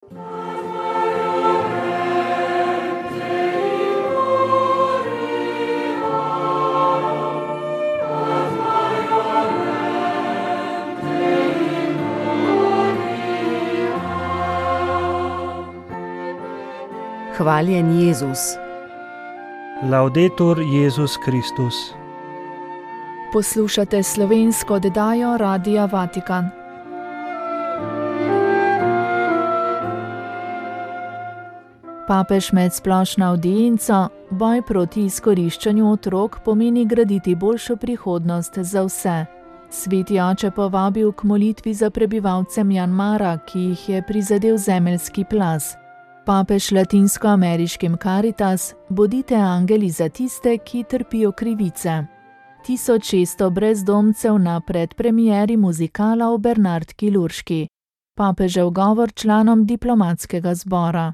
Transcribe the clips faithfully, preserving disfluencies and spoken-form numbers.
Hvaljen Jezus. Laudetur Jezus Kristus. Poslušate slovensko oddajo Radia Vatikan. Papež med splošno avdienco Boj proti izkoriščanju otrok pomeni graditi boljšo prihodnost za vse. Sveti oče povabil k molitvi za prebivalce Mjanmara, ki jih je prizadel zemeljski plaz. Papež latinskoameriškim Caritas: bodite angeli za tiste, ki trpijo krivice. tisoč šeststo brezdomcev na predpremieri muzikala o Bernardki Lurški. Papežev govor članom diplomatskega zbora.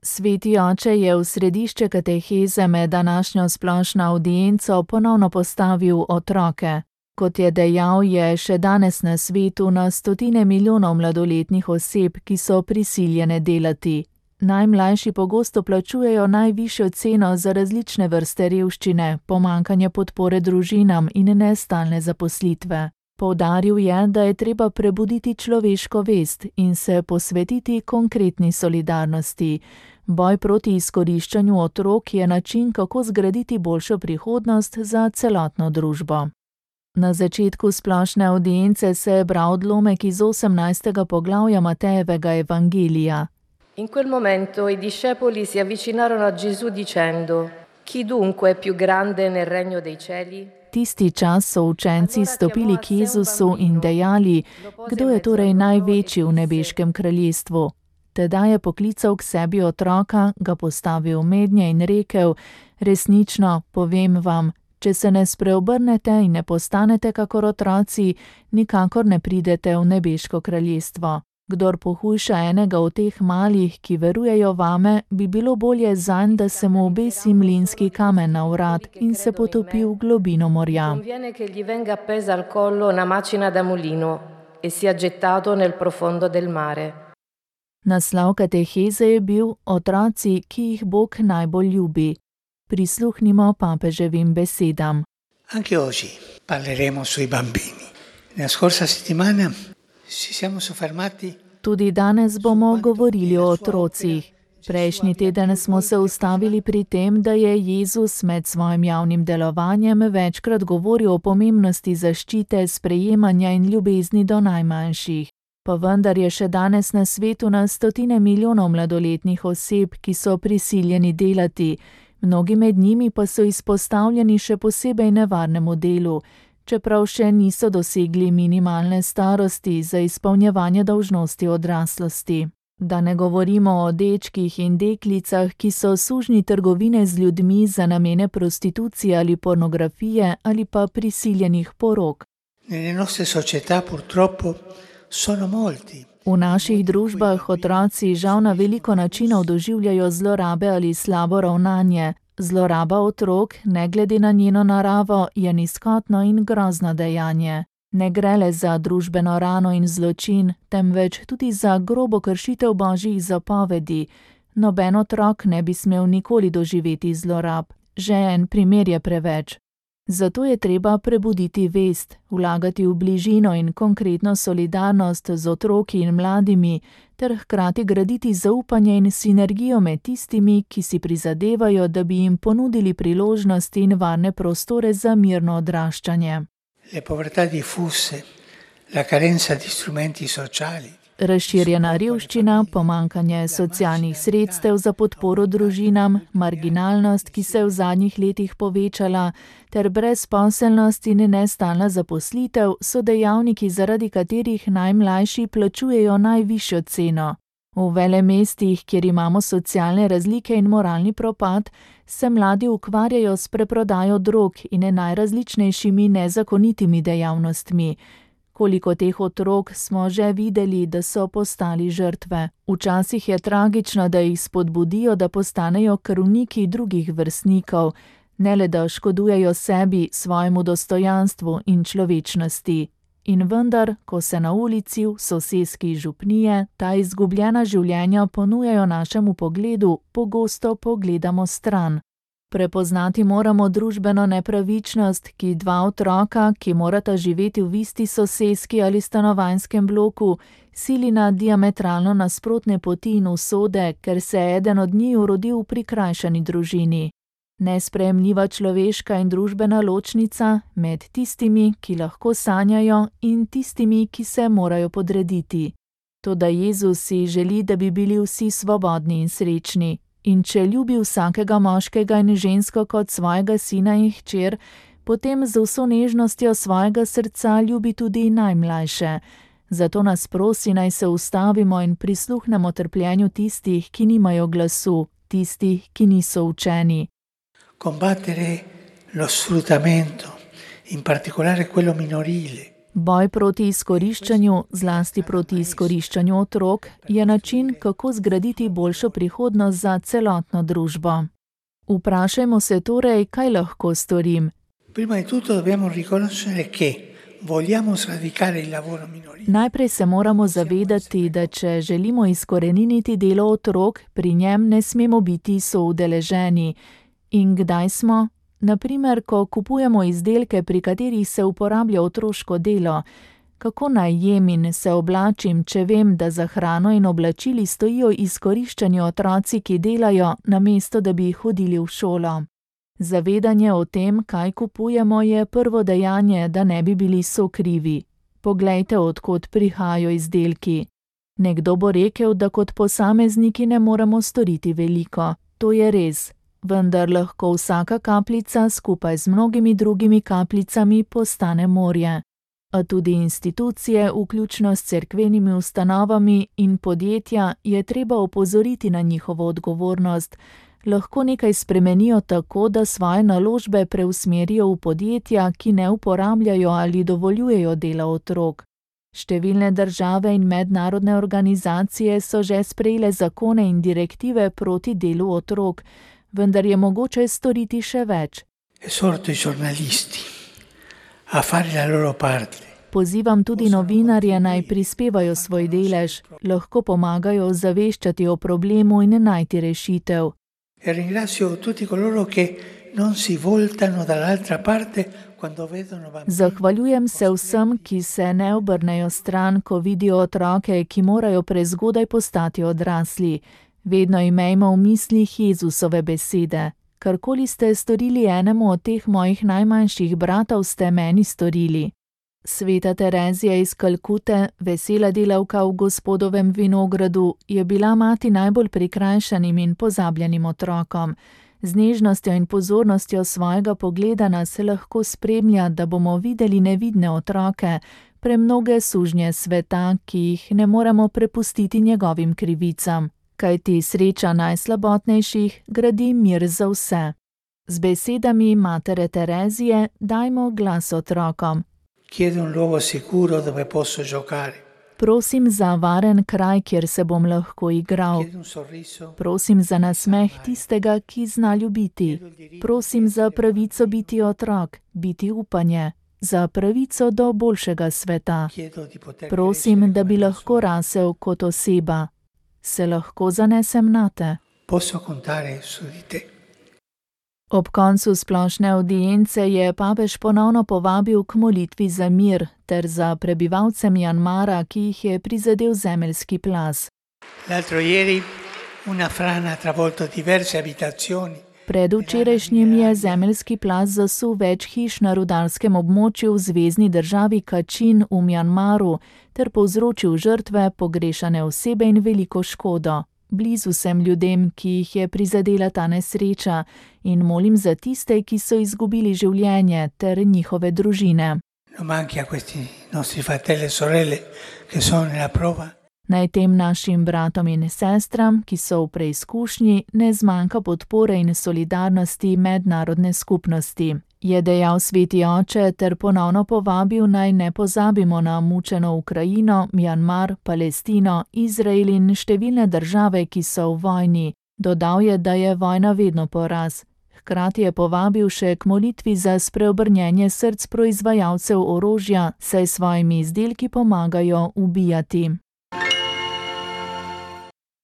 Sveti oče je v središče kateheze med današnjo splošno avdienco ponovno postavil otroke. Kot je dejal, je še danes na svetu na stotine milijonov mladoletnih oseb, ki so prisiljene delati. Najmlajši pogosto plačujejo najvišjo ceno za različne vrste revščine, pomanjkanje podpore družinam in nestalne zaposlitve. Poudaril je, da je treba prebuditi človeško vest in se posvetiti konkretni solidarnosti. Boj proti izkoriščanju otrok je način, kako zgraditi boljšo prihodnost za celotno družbo. Na začetku splošne avdience se je bral odlomek iz osemnajstega poglavja Matejevega evangelija. In quel momento i discepoli si avvicinarono a Gesù dicendo: Chi dunque è più grande nel regno dei cieli? Tisti čas so učenci stopili k Jezusu in dejali: kdo je torej največji v nebeškem kraljestvu? Tedaj je poklical k sebi otroka, ga postavil mednje in rekel: resnično, povem vam, če se ne spreobrnete in ne postanete kakor otroci, nikakor ne pridete v nebeško kraljestvo. Kdor pohujša enega od teh malih, ki verujejo vame, bi bilo bolje zanj, da se mu obesi mlinski kamen na vrat in se potopi v globino morja. Conviene che gli venga appesa al collo una macina da mulino e sia gettato nel profondo del mare. Naslov kateheze je bil Otroci, ki jih Bog najbolj ljubi. Prisluhnimo papeževim besedam. Anche oggi parleremo sui bambini. Nella scorsa settimana si siamo soffermati. Tudi danes bomo govorili o otrocih. Prejšnji teden smo se ustavili pri tem, da je Jezus med svojim javnim delovanjem večkrat govoril o pomembnosti zaščite, sprejemanja in ljubezni do najmanjših. Pa vendar je še danes na svetu na stotine milijonov mladoletnih oseb, ki so prisiljeni delati. Mnogi med njimi pa so izpostavljeni še posebej nevarnemu delu, čeprav še niso dosegli minimalne starosti za izpolnjevanje dolžnosti odraslosti. Da ne govorimo o dečkih in deklicah, ki so sužnji trgovine z ljudmi za namene prostitucije ali pornografije ali pa prisiljenih porok. Nelle nostre società purtroppo sono molti. V naših družbah otroci žal na veliko načinov doživljajo zlorabe ali slabo ravnanje. Zloraba otrok, ne glede na njeno naravo, je nizkotno in grozno dejanje. Ne gre le za družbeno rano in zločin, temveč tudi za grobo kršitev božjih zapovedi. Noben otrok ne bi smel nikoli doživeti zlorab. Že en primer je preveč. Zato je treba prebuditi vest, vlagati v bližino in konkretno solidarnost z otroki in mladimi, ter hkrati graditi zaupanje in sinergijo med tistimi, ki si prizadevajo, da bi jim ponudili priložnosti in varne prostore za mirno odraščanje. Le povertà diffuse, la carenza di strumenti sociali. Razširjena revščina, pomanjkanje socialnih sredstev za podporo družinam, marginalnost, ki se je v zadnjih letih povečala, ter brezposelnost in nestalna zaposlitev so dejavniki, zaradi katerih najmlajši plačujejo najvišjo ceno. V velemestih, kjer imamo socialne razlike in moralni propad, se mladi ukvarjajo s preprodajo drog in najrazličnejšimi nezakonitimi dejavnostmi. Koliko teh otrok smo že videli, da so postali žrtve. Včasih je tragično, da jih spodbudijo, da postanejo krvniki drugih vrstnikov, ne le da škodujejo sebi, svojemu dostojanstvu in človečnosti. In vendar, ko se na ulici v soseski župnije ta izgubljena življenja ponujajo našemu pogledu, pogosto pogledamo stran. Prepoznati moramo družbeno nepravičnost, ki dva otroka, ki morata živeti v isti soseski ali stanovanjskem bloku, sili na diametralno nasprotne poti in usode, ker se je eden od njiju rodil v prikrajšani družini. Nesprejemljiva človeška in družbena ločnica med tistimi, ki lahko sanjajo, in tistimi, ki se morajo podrediti. Toda Jezus si želi, da bi bili vsi svobodni in srečni. In če ljubi vsakega moškega in žensko kot svojega sina in hčer, potem z vso nežnostjo svojega srca ljubi tudi najmlajše. Zato nas prosi, naj se ustavimo in prisluhnemo trpljenju tistih, ki nimajo glasu, tistih, ki niso učeni. Combattere lo sfruttamento, in particolare quello minorile. Boj proti izkoriščanju, zlasti proti izkoriščanju otrok, je način, kako zgraditi boljšo prihodnost za celotno družbo. Vprašajmo se torej, kaj lahko storim. Prima di tutto dobbiamo riconoscere che vogliamo sradicare il lavoro minorile. Najprej se moramo zavedati, da če želimo izkoreniniti delo otrok, pri njem ne smemo biti soudeleženi. In kdaj smo? Naprimer, ko kupujemo izdelke, pri katerih se uporablja otroško delo. Kako naj jem in se oblačim, če vem, da za hrano in oblačili stojijo izkoriščani otroci, ki delajo, namesto da bi hodili v šolo? Zavedanje o tem, kaj kupujemo, je prvo dejanje, da ne bi bili sokrivi. Poglejte, od kod prihajajo izdelki. Nekdo bo rekel, da kot posamezniki ne moremo storiti veliko. To je res. Vendar lahko vsaka kapljica skupaj z mnogimi drugimi kapljicami postane morje. A tudi institucije, vključno s cerkvenimi ustanovami in podjetja, je treba opozoriti na njihovo odgovornost. Lahko nekaj spremenijo tako, da svoje naložbe preusmerijo v podjetja, ki ne uporabljajo ali dovoljujejo dela otrok. Številne države in mednarodne organizacije so že sprejele zakone in direktive proti delu otrok, vendar je mogoče storiti še več. Esorto i giornalisti a fare la loro parte. Pozivam tudi novinarje, naj prispevajo svoj delež, lahko pomagajo ozaveščati o problemu in najti rešitev. E ringrazio tutti coloro che non si voltano dall'altra parte quando vedono bambini. Zahvaljujem se vsem, ki se ne obrnejo stran, ko vidijo otroke, ki morajo prezgodaj postati odrasli. Vedno imejmo v mislih Jezusove besede. Karkoli ste storili enemu od teh mojih najmanjših bratov, ste meni storili. Sveta Terezija iz Kalkute, vesela delavka v Gospodovem vinogradu, je bila mati najbolj prikrajšanim in pozabljenim otrokom. Z nežnostjo in pozornostjo svojega pogleda nas lahko spremlja, da bomo videli nevidne otroke, premnoge sužnje sveta, ki jih ne moremo prepustiti njegovim krivicam. Kajti sreča najslabotnejših gradi mir za vse. Z besedami matere Terezije dajmo glas otrokom. Chiedo un luogo sicuro dove posso giocare. Prosim za varen kraj, kjer se bom lahko igral. Chiedo un sorriso. Prosim za nasmeh tistega, ki zna ljubiti. Prosim za pravico biti otrok, biti upanje, za pravico do boljšega sveta. Chiedo di poter Prosim, crescere da bi come lahko persona. rasel kot oseba. Se lahko zanesem nate. Posso contare su di te. Ob koncu splošne avdience je papež ponovno povabil k molitvi za mir ter za prebivalce Mjanmara, ki jih je prizadel zemeljski plaz. L'altro ieri una frana ha travolto diverse abitazioni. Predvčerajšnjim je zemeljski plaz zasul več hiš na rudarskem območju v zvezni državi Kačin v Mjanmaru ter povzročil žrtve, pogrešane osebe in veliko škodo. Blizu sem ljudem, ki jih je prizadela ta nesreča, in molim za tiste, ki so izgubili življenje, ter njihove družine. Non manchi a questi nostri fratelli e sorelle che sono nella prova. Naj tem našim bratom in sestram, ki so v preizkušnji, ne zmanjka podpore in solidarnosti mednarodne skupnosti, je dejal sveti oče ter ponovno povabil, naj ne pozabimo na mučeno Ukrajino, Mjanmar, Palestino, Izrael in številne države, ki so v vojni. Dodal je, da je vojna vedno poraz. hkrati je povabil še k molitvi za spreobrnjenje src proizvajalcev orožja, saj svojimi izdelki pomagajo ubijati.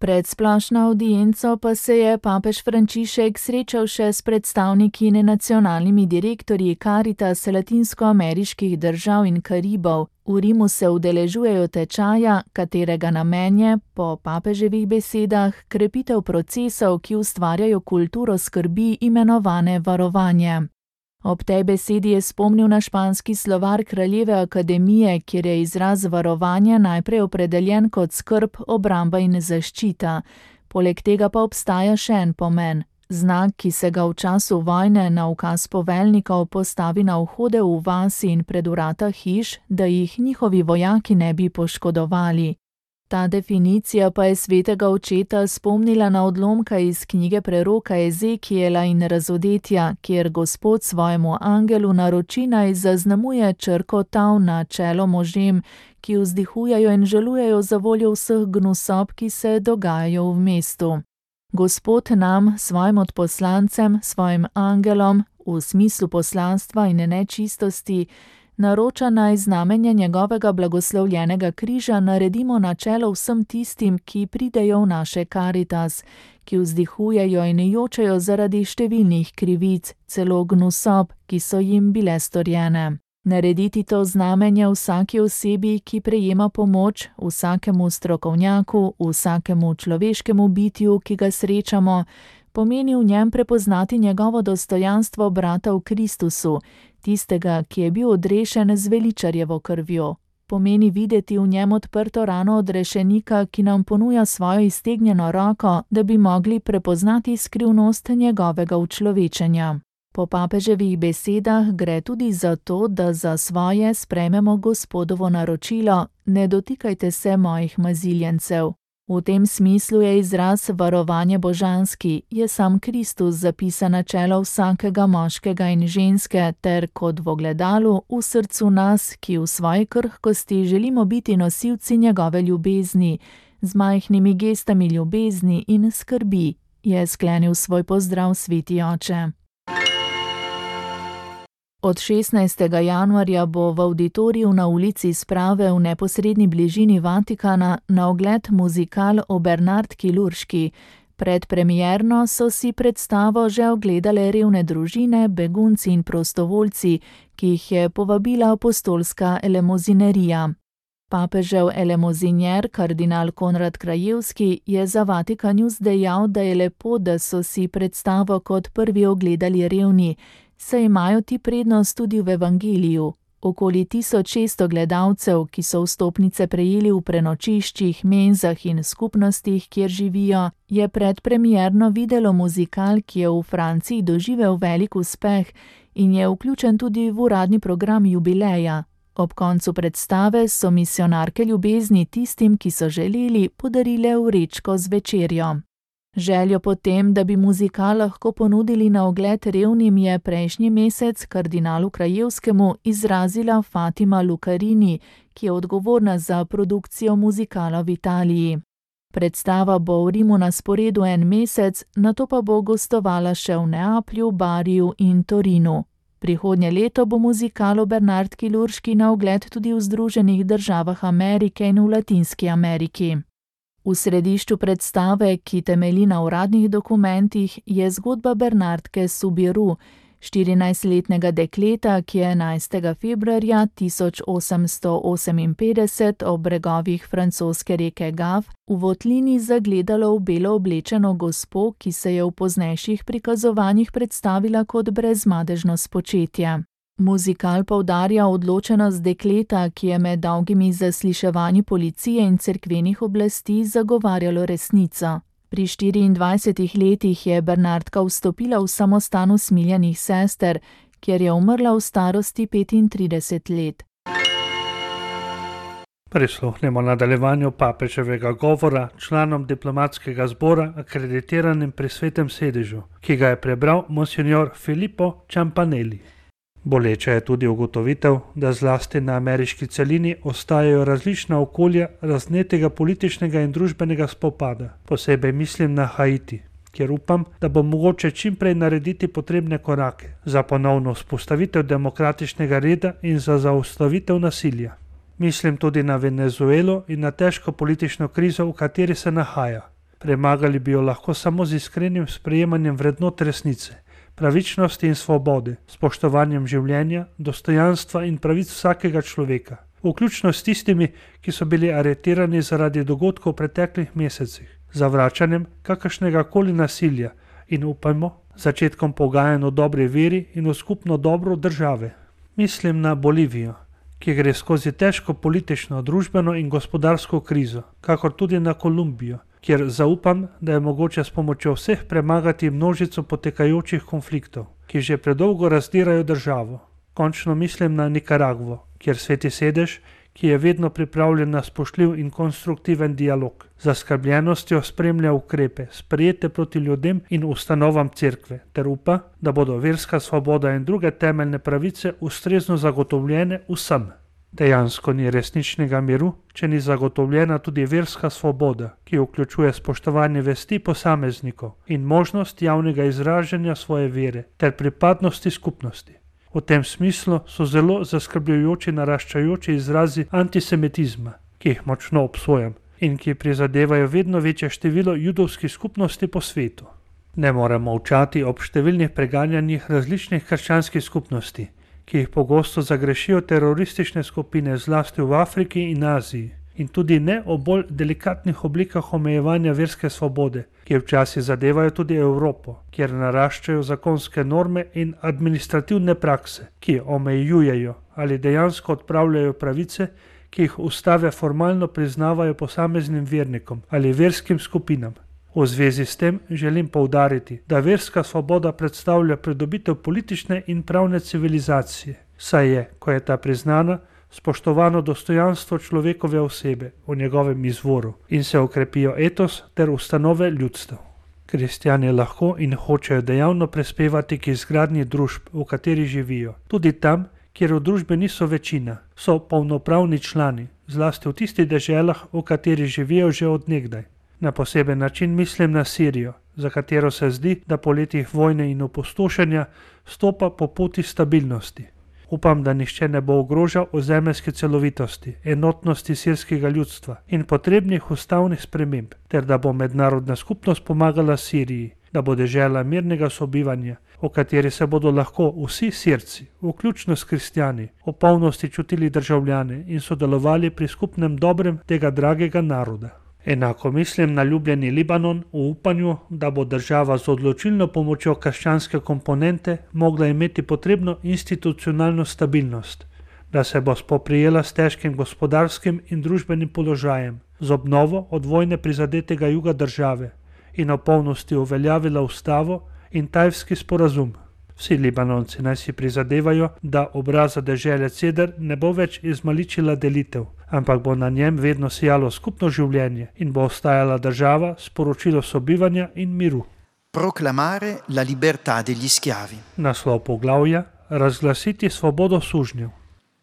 Pred splošno avdienco pa se je papež Frančišek srečal še s predstavniki in nacionalnimi direktorji Karitas latinskoameriških držav in Karibov. V Rimu se udeležujejo tečaja, katerega namen je, po papeževih besedah, krepitev procesov, ki ustvarjajo kulturo skrbi, imenovane varovanje. Ob tej besedi je spomnil na španski slovar Kraljeve akademije, kjer je izraz varovanje najprej opredeljen kot skrb, obramba in zaščita. Poleg tega pa obstaja še en pomen. Znak, ki se ga v času vojne na ukaz poveljnikov postavi na vhode v vasi in pred vrata hiš, da jih njihovi vojaki ne bi poškodovali. Ta definicija pa je svetega očeta spomnila na odlomka iz knjige preroka Ezekijela in Razodetja, kjer Gospod svojemu angelu naroči naj zaznamuje črko tav na čelo možem, ki vzdihujejo in žalujejo za voljo vseh gnusob, ki se dogajajo v mestu. Gospod nam, svojim odposlancem, svojim angelom, v smislu poslanstva in nečistosti, naroča naj znamenje njegovega blagoslovljenega križa naredimo na čelo vsem tistim, ki pridejo v naše Karitas, ki vzdihujejo in jočejo zaradi številnih krivic, celo gnusob, ki so jim bile storjene. Narediti to znamenje vsaki osebi, ki prejema pomoč, vsakemu strokovnjaku, vsakemu človeškemu bitju, ki ga srečamo, pomeni v njem prepoznati njegovo dostojanstvo brata v Kristusu, tistega, ki je bil odrešen z veličarjevo krvjo. Pomeni videti v njem odprto rano odrešenika, ki nam ponuja svojo iztegnjeno roko, da bi mogli prepoznati skrivnost njegovega učlovečenja. Po papeževih besedah gre tudi za to, da za svoje sprejmemo Gospodovo naročilo: ne dotikajte se mojih maziljencev. V tem smislu je izraz varovanje božanski, je sam Kristus zapisan na čelo vsakega moškega in ženske ter kot v ogledalu v srcu nas, ki v svoji krhkosti želimo biti nosilci njegove ljubezni, z majhnimi gestami ljubezni in skrbi, je sklenil svoj pozdrav sveti oče. Od šestnajstega januarja bo v avditoriju na ulici Sprave v neposredni bližini Vatikana na ogled muzikal o Bernardki Lurški. Predpremierno so si predstavo že ogledale revne družine, begunci in prostovoljci, ki jih je povabila apostolska elemozinerija. Papežev elemozinjer, kardinal Konrad Krajewski, je za Vatikan News dejal, da je lepo, da so si predstavo kot prvi ogledali revni, saj imajo ti prednost tudi v evangeliju. Okoli tisoč šeststo gledalcev, ki so vstopnice prejeli v prenočiščih, menzah in skupnostih, kjer živijo, je predpremierno videlo muzikal, ki je v Franciji doživel velik uspeh in je vključen tudi v uradni program jubileja. Ob koncu predstave so misijonarke ljubezni tistim, ki so želeli, podarile vrečko z večerjo. Željo potem, da bi muzikal lahko ponudili na ogled revnim, je prejšnji mesec kardinalu Krajewskemu izrazila Fatima Lucarini, ki je odgovorna za produkcijo muzikala v Italiji. Predstava bo v Rimu na sporedu en mesec, nato pa bo gostovala še v Neaplju, Bariju in Torinu. Prihodnje leto bo muzikal o Bernardki Lurški na ogled tudi v Združenih državah Amerike in v Latinski Ameriki. V središču predstave, ki temelji na uradnih dokumentih, je zgodba Bernardke Subiru, štirinajstletnega dekleta, ki je enajstega februarja tisoč osemsto oseminpetdeset ob bregovih francoske reke Gav v votlini zagledalo v belo oblečeno gospo, ki se je v poznejših prikazovanjih predstavila kot brezmadežno spočetje. Muzikal poudarja odločenost dekleta, ki je med dolgimi zasliševanji policije in cerkvenih oblasti zagovarjalo resnico. Pri štiriindvajsetih letih je Bernardka vstopila v samostan usmiljenih sester, kjer je umrla v starosti petintrideset let. Prisluhnemo nadaljevanju papeževega govora članom diplomatskega zbora akreditiranim pri Svetem sedežu, ki ga je prebral monsinjor Filippo Ciampanelli. Boleča je tudi ugotovitev, da zlasti na ameriški celini ostajajo različna okolja raznetega političnega in družbenega spopada. Posebej mislim na Haiti. kjer upam, da bo mogoče čim prej narediti potrebne korake za ponovno vzpostavitev demokratičnega reda in za zaustavitev nasilja. Mislim tudi na Venezuelo in na težko politično krizo, v kateri se nahaja. Premagali bi jo lahko samo z iskrenim sprejemanjem vrednot resnice, pravičnosti in svobode, spoštovanjem življenja, dostojanstva in pravic vsakega človeka, vključno s tistimi, ki so bili aretirani zaradi dogodkov v preteklih mesecih, zavračanjem kakršnega koli nasilja in upajmo, začetkom pogajanj o dobri veri in v skupno dobro države. Mislim na Bolivijo, ki gre skozi težko politično, družbeno in gospodarsko krizo, kakor tudi na Kolumbijo, kjer zaupam, da je mogoče s pomočjo vseh premagati množico potekajočih konfliktov, ki že predolgo razdirajo državo. Končno mislim na Nikaragvo, kjer Sveti sedež, ki je vedno pripravljen na spoštljiv in konstruktiven dialog, z zaskrbljenostjo spremlja ukrepe, sprejete proti ljudem in ustanovam cerkve, ter upa, da bodo verska svoboda in druge temeljne pravice ustrezno zagotovljene vsem. Dejansko ni resničnega miru, če ni zagotovljena tudi verska svoboda, ki vključuje spoštovanje vesti posameznikov in možnost javnega izražanja svoje vere ter pripadnosti skupnosti. V tem smislu so zelo zaskrbljujoči naraščajoči izrazi antisemitizma, ki jih močno obsojam in ki prizadevajo vedno večje število judovskih skupnosti po svetu. Ne moremo molčati ob številnih preganjanjih različnih krščanskih skupnosti, ki jih pogosto zagrešijo teroristične skupine zlasti v Afriki in Aziji, in tudi ne o bolj delikatnih oblikah omejevanja verske svobode, ki včasih zadevajo tudi Evropo, kjer naraščajo zakonske norme in administrativne prakse, ki omejujejo ali dejansko odpravljajo pravice, ki jih ustave formalno priznavajo posameznim vernikom ali verskim skupinam. V zvezi s tem želim poudariti, da verska svoboda predstavlja pridobitev politične in pravne civilizacije, saj je, ko je ta priznana, spoštovano dostojanstvo človekove osebe v njegovem izvoru in se okrepijo etos ter ustanove ljudstev. Kristjani lahko in hočejo dejavno prispevati k izgradnji družb, v kateri živijo, tudi tam, kjer v družbi niso večina, so polnopravni člani, zlasti v tistih deželah, v kateri živijo že od nekdaj. Na poseben način mislim na Sirijo, za katero se zdi, da po letih vojne in opustošenja stopa po poti stabilnosti. Upam, da nihče ne bo ogrožal ozemeljske celovitosti, enotnosti sirskega ljudstva in potrebnih ustavnih sprememb, ter da bo mednarodna skupnost pomagala Siriji, da bo dežela mirnega sobivanja, v kateri se bodo lahko vsi Sirci, vključno s kristjani, v polnosti čutili državljane in sodelovali pri skupnem dobrem tega dragega naroda. Enako mislim na ljubljeni Libanon v upanju, da bo država z odločilno pomočjo krščanske komponente mogla imeti potrebno institucionalno stabilnost, da se bo spoprijela s težkim gospodarskim in družbenim položajem, z obnovo od vojne prizadetega juga države in v polnosti uveljavila ustavo in tajfski sporazum. Vsi Libanonci naj si prizadevajo, da obraza dežele Ceder ne bo več izmaličila delitev, ampak bo na njem vedno sijalo skupno življenje in bo ostajala država s sporočilo sobivanja in miru. Proclamare la libertà degli schiavi. Naslov poglavja: razglasiti svobodo sužnjev.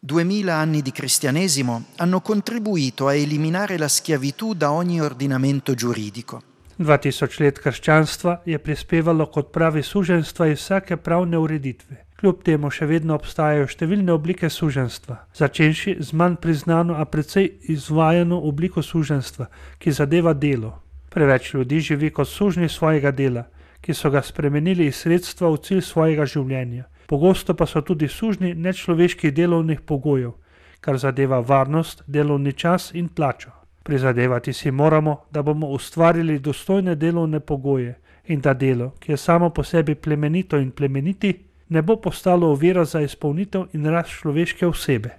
Duemila anni di cristianesimo hanno contribuito a eliminare la schiavitù da ogni ordinamento giuridico. Dva tisoč let krščanstva je prispevalo k odpravi suženjstva iz vsake pravne ureditve. Kljub temu še vedno obstajajo številne oblike suženjstva, začenši z manj priznano, a precej izvajano obliko suženjstva, ki zadeva delo. Preveč ljudi živi kot sužnji svojega dela, ki so ga spremenili iz sredstva v cilj svojega življenja. Pogosto pa so tudi sužnji nečloveških delovnih pogojev, kar zadeva varnost, delovni čas in plačo. Prizadevati si moramo, da bomo ustvarili dostojne delovne pogoje in da delo, ki je samo po sebi plemenito in plemeniti, ne bo postalo ovira za izpolnitev in rast človeške osebe.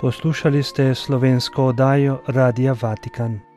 Poslušali ste slovensko oddajo Radia Vatikan.